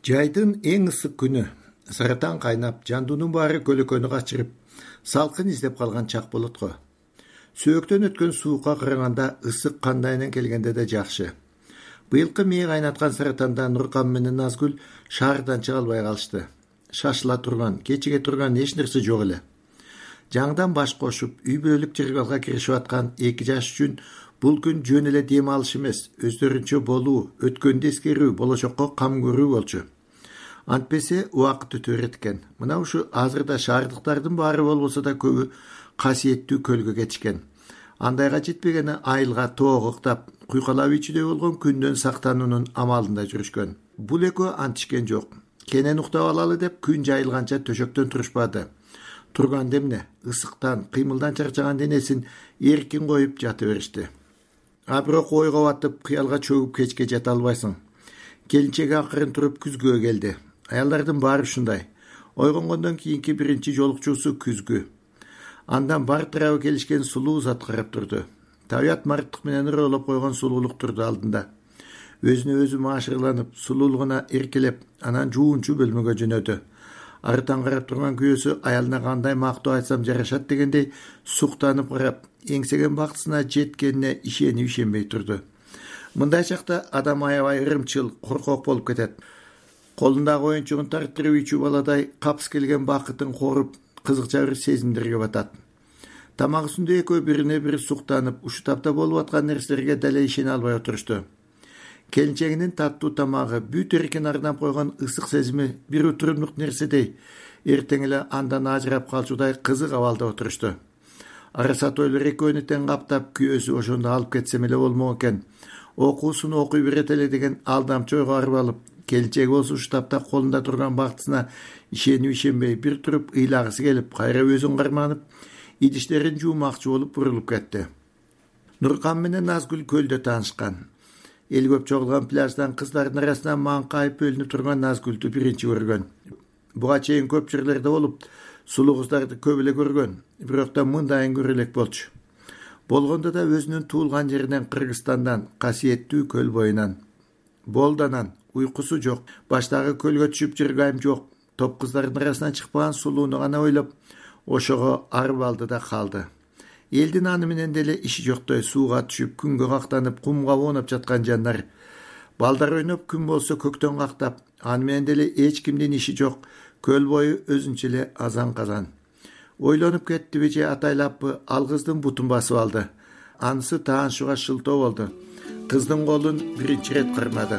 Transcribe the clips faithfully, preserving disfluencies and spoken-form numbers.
Жайдын эң ысык күнү, саратан кайнап, жандуунун баары көлөкөнү качырып, салкын издеп калган чак болот го. Сөөктөн өткөн суукка караганда ысык кандайынан келгенде да жакшы. Быйылкы мээ кайнаткан саратанда Нуркан менен Назгүл шаардан чыга албай калышты. Шашыла турган, кечиге турган эч нерсе жок эле. Жаңдан баш кошуп, үй бүлөлүк жыргалга киришип аткан эки жаш үчүн бул күн жөн эле дем алыш эмес, өздөрүнчө болуу, өткөндү эскерүү, болочокко кам көрүү болчу. Антпесе убакыт өтөр экен. Мына ушу азырда шаардыктардын баары болбосо да көбү касиеттүү көлгө кетишкен. Андайга жетпегени айылга тоого ыктап, куйкалап ичүүдөй болгон күндөн сактануунун амалында жүрүшкөн. Бул экөө антишкен жок. Кенен уктап алалы деп күн жайылганча төшөктөн турушпады. Турган демне, ысыктан, кыймылдан чарчаган денесин эркин коюп жата беришти. А бирок ойго батып, кыялга чөгүп кечке жата албайсың. Келинчеги акырын туруп күзгүгө келди. Аялдардын баары ушундай. Ойгонгондон кийинки биринчи жолукчусу күзгү. Андан бар тарабы келишкен сулуу зат карап турду. Табият марттык менен ыролоп койгон сулуулук турду алдында. Өзүнө өзү маашырланып, сулуулугуна эркелеп, анан жуунчу бөлмөгө жөнөдү. Арытан карап турган күйөөсү аялына кандай мактоо айтсам жарашат дегендей суктанып карап, эңсеген бактысына жеткенине ишенип ишенбей турду. Мындай чакта адам аябай ырымчыл, коркок болуп кетет. Колундагы оюнчугун тартырып ичүү баладай капс келген бакытын коруп, кызыкча бир сезимдерге батат. Тамак үстүндө экөө бирине бири суктанып, ушу тапта болуп аткан нерселерге дале ишене албай отурушту. Келинчегинин таттуу тамагы, бүт эркин арнап койгон ысык сезими бир утурумдук нерседей, эртең эле андан ажырап калчудай кызык абалда отурушту. Арасат ойлор экөөнү тең каптап, күйөөсү ошондо алып кетсем эле болмок экен. Окуусун окуй берет эле деген алдамчы ойго арып алып, келинчеги болсо ушу тапта колунда турган бактысына ишенип ишенбей бир туруп ыйлагысы келип, кайра өзүн карманып, идиштерин жуумакчы болуп бурулуп кетти. Нуркан менен Назгүл көлдө таанышкан. Эл көп чогулган пляждан кыздардын арасынан маңкайып бөлүнүп турган Назгүлдү биринчи көргөн. Буга чейин көп жерлерде болуп, сулуу кыздарды көп эле көргөн, бирок да мындайын көрө элек болчу. Болгондо да өзүнүн туулган жеринен, Кыргызстандан, касиеттүү көл боюнан. Болданан, уйкусу жок, баштагы көлгө түшүп жыргайым жок, топ кыздардын арасынан чыкпаган сулууну гана ойлоп, ошого арып алды да калды. Элдин аны менен деле иши жоктой сууга түшүп, күнгө кактанып, кумга оонуп жаткан жандар. Балдар ойноп, күн болсо көктөн кактап, аны менен деле эч кимдин иши жок, көл бою өзүнчө эле азан-казан. Ойлонуп кеттиби же атайлаппы, ал кыздын бутун басып алды. Анысы таанышууга шылтоо болду. Кыздын колун биринчи ирет кармады.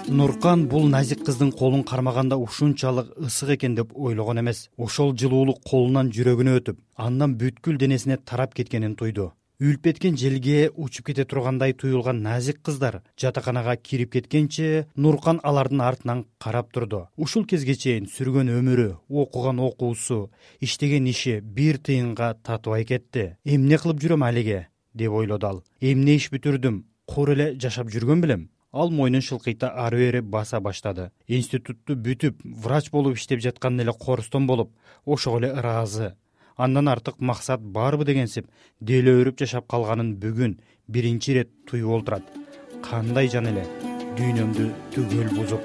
Нуркан бул назик кыздын колун кармаганда ушунчалык ысык экен деп ойлогон эмес. Ошол жылуулук колунан жүрөгүнө өтүп, андан бүткүл денесине тарап кеткенин туйду. Үлүп кеткен желге учуп кете тургандай туюлган назик кыздар жатаканага кирип кеткенче Нуркан алардын артынан карап турду. Ушул кезге чейин сүргөн өмүрү, окуган окуусу, иштеген иши бир тыйынга татыбай кетти. Эмне кылып жүрөм алиге деп ойлоду ал. Эмне иш бүтүрдүм, кор эле жашап жүргөн белем. Ал мойнун шылкыйта ары бери баса баштады. Институтту бүтүп, врач болуп иштеп жаткан эле корустон болуп, ошого эле ыраазы. Андан артык максат барбы дегенсип, деле өрүп жашап калганын бүгүн биринчи ирет туюп олтурат. Кандай жан эле дүйнөмдү түгөл бузуп.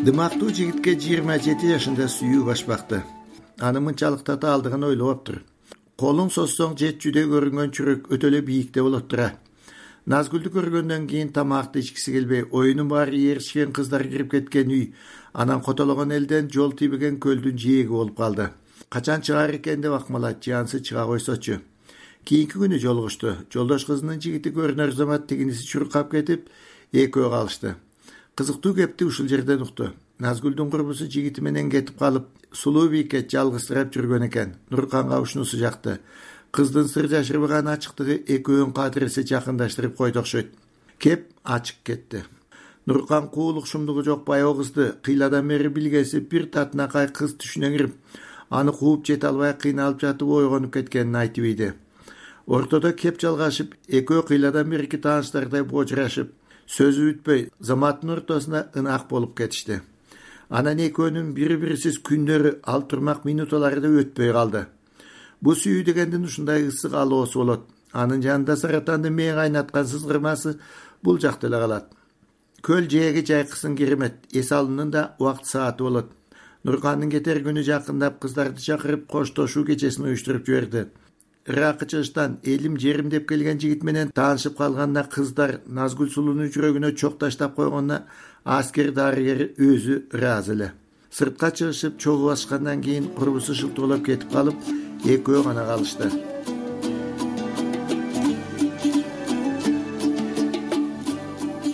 Дымактуу жигитке жыйырма жети жашында сүйүү башпакты. Аны мынчалык татаалдыгын ойлоптур. Колуң соссоң жетчүдөй көрүнгөн чүрөк өтө эле бийикте болот тура. Назгүлдү көргөндөн кийин тамакты ичкиси келбей, оюнун баары ээрчишкен кыздар кирип кеткен үй, анан котологон элден жол тийбеген көлдүн жээги болуп калды. Качан чыгаар экен деп акмалат, жансы чыга койсочу. Кийинки күнү жолугушту. Жолдош кызынын жигити көрүнөр замат тигиниси чуркап кетип, экөө калышты. Кызыктуу кепти ушул жерден укту. Назгүлдүн курбусу жигити менен кетип калып, сулуу бийикке жалгызсырап жүргөн экен. Нурканга ушунусу жакты. Кыздын сыр жашырбаган ачыктыгы экөөнүн кадыресе жакындаштырып койду окшойт. Кеп ачык кетти. Нуркан куулук шумдугу жок баягы кызды кыйладан бери билгеси бир татынакай кыз түшүнө кирип, аны кууп жете албай кыйналып жатып ойгонуп кеткенин айтып ийди. Ортодо кеп жалгашып, экөө кыйладан берки тааныштардай божурашып, сөзү бүтпөй заматтын ортосуна ынак болуп кетишти. Анан экөөнүн бири-бирисиз күндөрү, ал турмак минуталары да өтпөй калды. Бу сүйүү дегендин ушундай ысык алоосу болот. Анын жанында саратандын мээ кайнаткан сызгырмасы бул жакта эле калат. Көл жээге жайкысын керемет. Эсалынын да убакыт сааты болот. Нуркандын кетер күнү жакындап, кыздарды чакырып коштошуу кечесин уюштуруп жиберди. Иракы чыгыштан элим жерим деп келген жигит менен таанышып калганына кыздар Назгүл сулуунун жүрөгүнө чок таштап койгонуна аскер дарыгери өзү ыраазы эле. Сыртка чыгышып чогуу баскандан кийин курбусу шылтоолоп кетип калып, экөө гана калышты.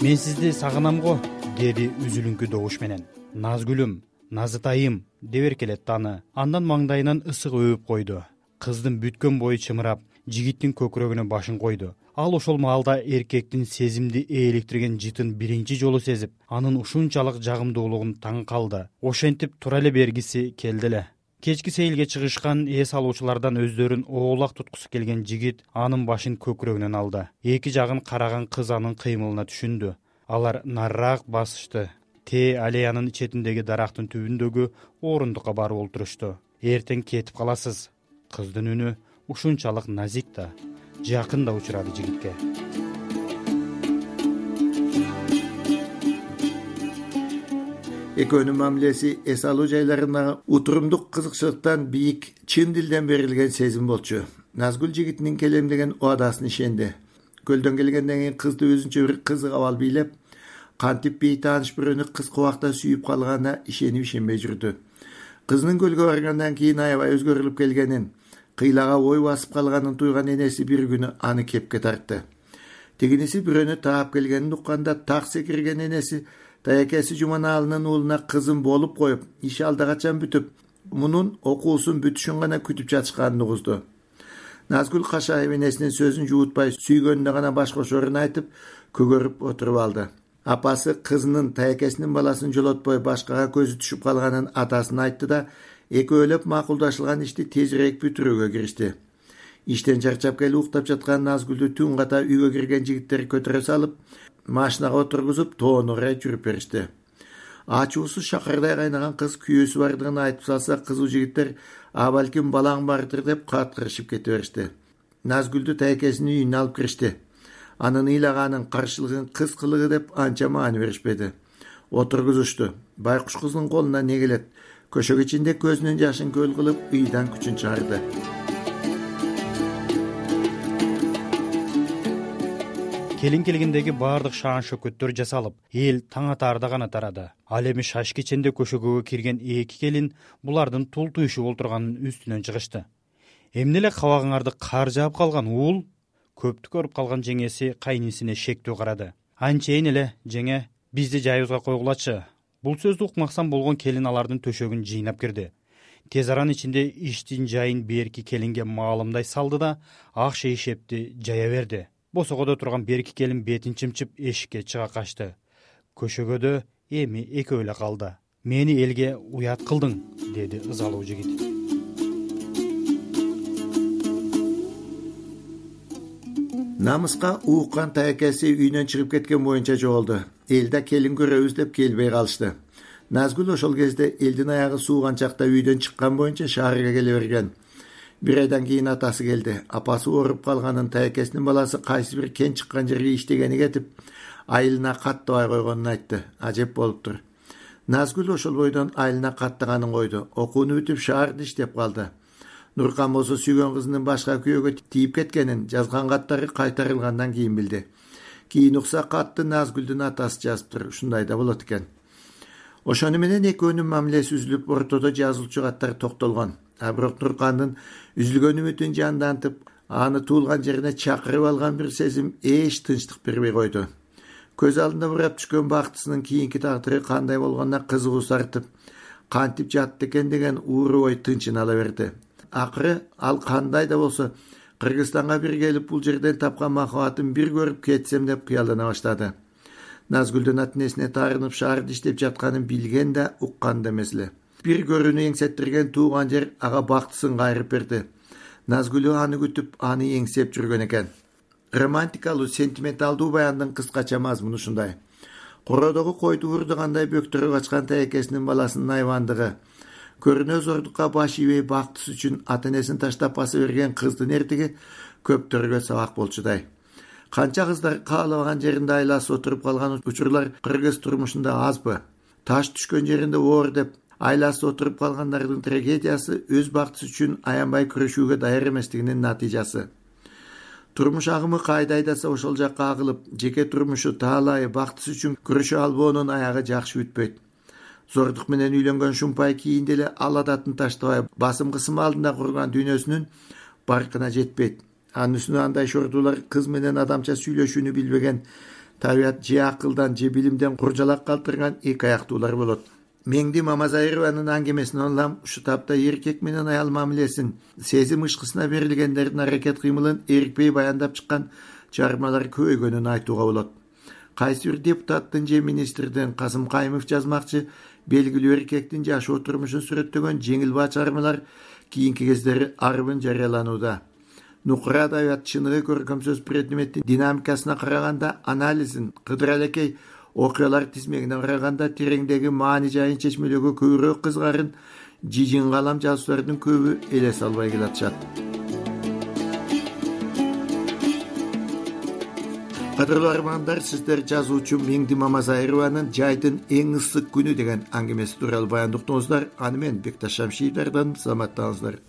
Мен сизди сагынам го, деди үзүлүңкү добуш менен. Назгүлүм, Назытайым деп эркелетти аны. Андан маңдайынан ысык өбүп койду. Кыздын бүткөн бою чымырап, жигиттин көкүрөгүнө башын койду. Ал ошол маалда эркектин сезимди ээликтирген жытын биринчи жолу сезип, анын ушунчалык жагымдуулугун таң калды. Ошентип тура эле бергиси келди эле. Кечки сейилге чыгышкан эс алуучулардан өздөрүн оолак туткусу келген жигит анын башын көкүрөгүнөн алды. Эки жагын караган кыз анын кыймылына түшүндү. Алар нарыраак басышты. Те аллеянын четиндеги дарактын түбүндөгү орундукка барып олтурушту. Эртең кетип каласыз. Кыздын үнү ушунчалык назик да, жакын да учурады жигитке. Экөөнүн мамилеси эс алуу жайларындагы утурумдук кызыкчылыктан бийик, чын дилден берилген сезим болчу. Назгүл жигитинин келемдеген убадасын ишенди. Көлдөн келгенден кийин кызды өзүнчө бир кызык абал бийлеп, кантип бейтааныш бирөөнү кыска убакта сүйүп калганына ишенип ишенбей жүрдү. Кызынын көлгө баргандан кийин аябай өзгөрүлүп келгенин, кыйлага ой басып калганын туйган энеси бир күнү аны кепке тартты. Тегиниси бирөөнү таап келгенин укканда так секирген энеси таякеси Жуманалынын уулуна кызым болуп коюп, иш алда качан бүтүп, мунун окуусун бүтүшүн гана күтүп жатышканын угузду. Назгүл Кашаев энесинин сөзүн жуутпай, сүйгөнүнө гана баш кошорун айтып, көгөрүп отуруп алды. Апасы кызынын таякесинин баласын жолотпой башкага көзү түшүп калганын атасына айтты да, экөөлөп макулдашылган ишти тезирээк бүтүрүүгө киришти. Иштен чарчап келип уктап жаткан Назгүлдү түн ката үйгө кирген жигиттер көтөрө салып, машинага отургузуп, тоону карай жүрүп беришти. Ачуусу шакардай кайнаган кыз күйөөсү бардыгын айтып салса, кызуу жигиттер а балким балаң бардыр деп каткырышып кете беришти. Назгүлдү таякесинин үйүнө алып киришти. Анын ыйлаганын, каршылыгын кыз кылыгы деп анча маани беришпеди. Отургузушту. Байкуш кыздын колуна не келет? Көшөк ичинде көзүнүн жашын көл кылып, ыйдан күчүн чыгарды. Келин келгендеги баардык шаан шөкөттөр жасалып, эл таң атаарда гана тарады. Ал эми шаш кеченде көшөгөгө кирген эки келин булардын тул туйшуп олтурганын үстүнөн чыгышты. Эмне эле кабагыңарды кар жаап калган уул? Көптү көрүп калган жеңеси кайнисине шектүү карады. Анчейин эле, жеңе, бизди жайыбызга койгулачы. Бул сөздү укмаксан болгон келин алардын төшөгүн жыйнап кирди. Тез аран ичинде иштин жайын берки келинге маалымдай салды да, ак шейшепти жая берди. Босогодо турган берки келин бетин чымчып эшикке чыга качты. Көшөгөдө эми экөө эле калды. Мени элге уят кылдың, деди ызалуу жигит. Намыска ууккан таякеси үйүнөн чыгып кеткен боюнча жоголду. Элде келин көрөбүз деп келбей калышты. Назгүл ошол кезде элдин аягы сууган чакта үйдөн чыккан боюнча шаарга келе берген. Бир айдан кийин атасы келди. Апасы ооруп калганын, таякесинин баласы кайсы бир кен чыккан жерге иштегени кетип, айылына каттабай койгонун айтты. Ажеп болуптур. Назгүл ошол бойдон айылына каттаганын койду. Окууну бүтүп шаарда иштеп калды. Нуркан болсо сүйгөн кызынын башка күйөөгө тийип кеткенин жазган каттары кайтарылгандан кийин билди. Кийин укса катты Назгүлдүн атасы жазыптыр. Ушундай да болот экен. Ошону менен экөөнүн мамилеси үзүлүп, ортодо жазылчу каттар токтолгон. А бирок Нуркандын үзүлгөн үмүтүн жандантып, аны туулган жерине чакырып алган бир сезим эч тынчтык бербей койду. Көз алдында бурап түшкөн бактысынын кийинки тагдыры кандай болгонуна кызыгуу сартып, кантип жатты экен деген ууру ой тынчын ала берди. Акыры ал кандай да болсо Кыргызстанга бир келип бул жерден тапкан махабатын бир көрүп кетсем деп кыялдана баштады. Назгүлдүн ата-энесине таарынып шаарда иштеп жатканын билген да, уккан да эмес эле. Бир көрүүнү эңсеттирген тууган жер ага бактысын кайрып берди. Назгүлү аны күтүп, аны эңсеп жүргөн экен. Романтикалуу, сентименталдуу баяндын кыскача мазмуну ушундай. Кородогу койду урдугандай бөктөрү качкан тайекесинин баласынын айвандыгы, көрүнө зордукка баш ийбей бактысы үчүн ата энесин таштап баса берген кыздын эртиги көптөргө сабак болчудай. Канча кыздар каалабаган жеринде айласып отуруп калган учурлар кыргыз турмушунда азбы? Таш түшкөн жеринде оор деп айласып отуруп калгандардын трагедиясы өз бактысы үчүн аянбай күрөшүүгө даяр эместигинин натыйжасы. Турмуш агымы кайда айдаса ошол жакка агылып, жеке турмушу, таалайы, бактысы үчүн күрөшө албоонун аягы жакшы бүтпөйт. Зордук менен үйлөнгөн шумпай кийинде эле ал адатын таштабай, басым кысым алдында курган дүйнөсүнүн баркына жетпейт. Анын үстүнө андай шордулар кыз менен адамча сүйлөшүүнү билбеген, табият же акылдан же билимден куржалак калтырган эки аяктуулар болот. Меңди Мамазайрованын аңгемесинен улам ушу тапта эркек менен аял мамилесин, сезим ышкысына берилгендердин аракет кыймылын эркпей баяндап чыккан чыгармалар көбөйгөнүн айтууга болот. Кайсы бир депутаттын же министрдин Касым Кайымов жазмакчы белгилүү эркектин жашоо турмушун сүрөттөгөн жеңил баа чыгармалар кийинки кездери арбын жарыяланууда. Нукура адабият чыныгы көркөм сөз предметтин динамикасына караганда, анализин, Кыдыр алекей окуялар тизмегине караганда тереңдеги маани жайын чечмелөөгө көбүрөөк кызгарын жижин калам жазуучулардын көбү элес албай келатышат. Кадырлуу армандар, сиздер жазуучу Меңди Мамазайрованын «Жайдын эң ысык күнү» деген аңгемеси тууралуу баяндыктыңыздар. Аны мен Бекташ Шамшиевдерден саламаттаңыздар.